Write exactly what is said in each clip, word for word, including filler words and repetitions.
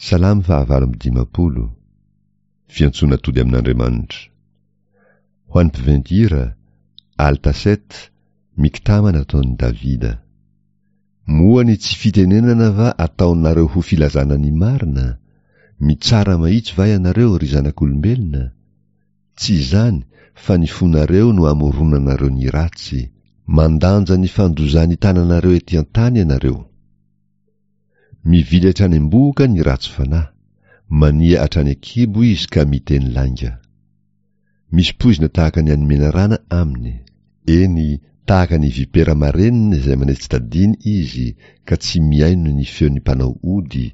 Salamo fahavalo amby dimampolo. Fiantsoana tody amin'Andriamanitra. Ho an'ny mpiventy hira, Altaset, Miktama nataon'i Davida. Moa ny tsy fitenenana va ataonareo ho filazana ny marina? Mitsara mahitsy va ianareo, ry zanak'olombelona? Tsy izany, fa ny fonareo no amoronanareo ny ratsy. Mandanja ny fandozan'ny tananareo ety an-tany ianareo. Mivily hatrany am-bohoka ny ratsy fanahy, mania hatrany an-kibo izy ka miteny lainga. Misy poizina tahaka ny an'ny menarana aminy, eny, tahaka ny vipera marenina izay manetsi-tadiny izy ka tsy mihaino ny feon'ny mpanao ody,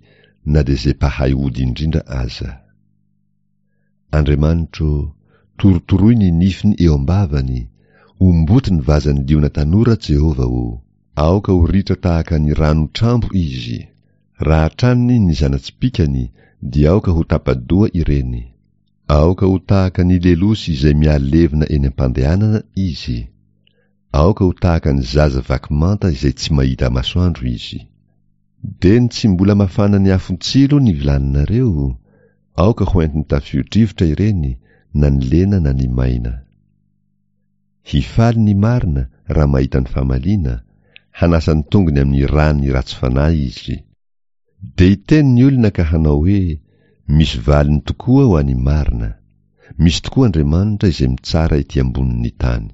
na dia izay mpahay ody indrindra aza. Andriamanitro, torotoroy ny nifiny eo am-bavany, omboty ny vazan'ny liona tanora Jehovah ô! Aoka ho ritra tahaka ny rano trambo izy. Raha hatraniny ny zana-tsipìkany, dia aoka ho tapa-doha ireny. Aoka ho tahaka ny lelosy izay mihalevona eny am-pandehanana izy. Aoka ho tahaka ny zaza vaky manta izay tsy mahita masoandro izy. Dia ny tsy mbola mafana ny afon-tsilo ny vilaninareo, aoka ho entin'ny tafio-drivotra ireny, na ny lena na ny maina. Hifaly ny marina raha mahita ny famaliana, hanasa ny tongony amin'ny ràn'ny ratsy fanahy izy. Dia hiteny ny olona ka hanao hoe, Misy valiny tokoa ho an'ny marina. Misy tokoa Andriamanitra izay mitsara ety ambonin'ny tany.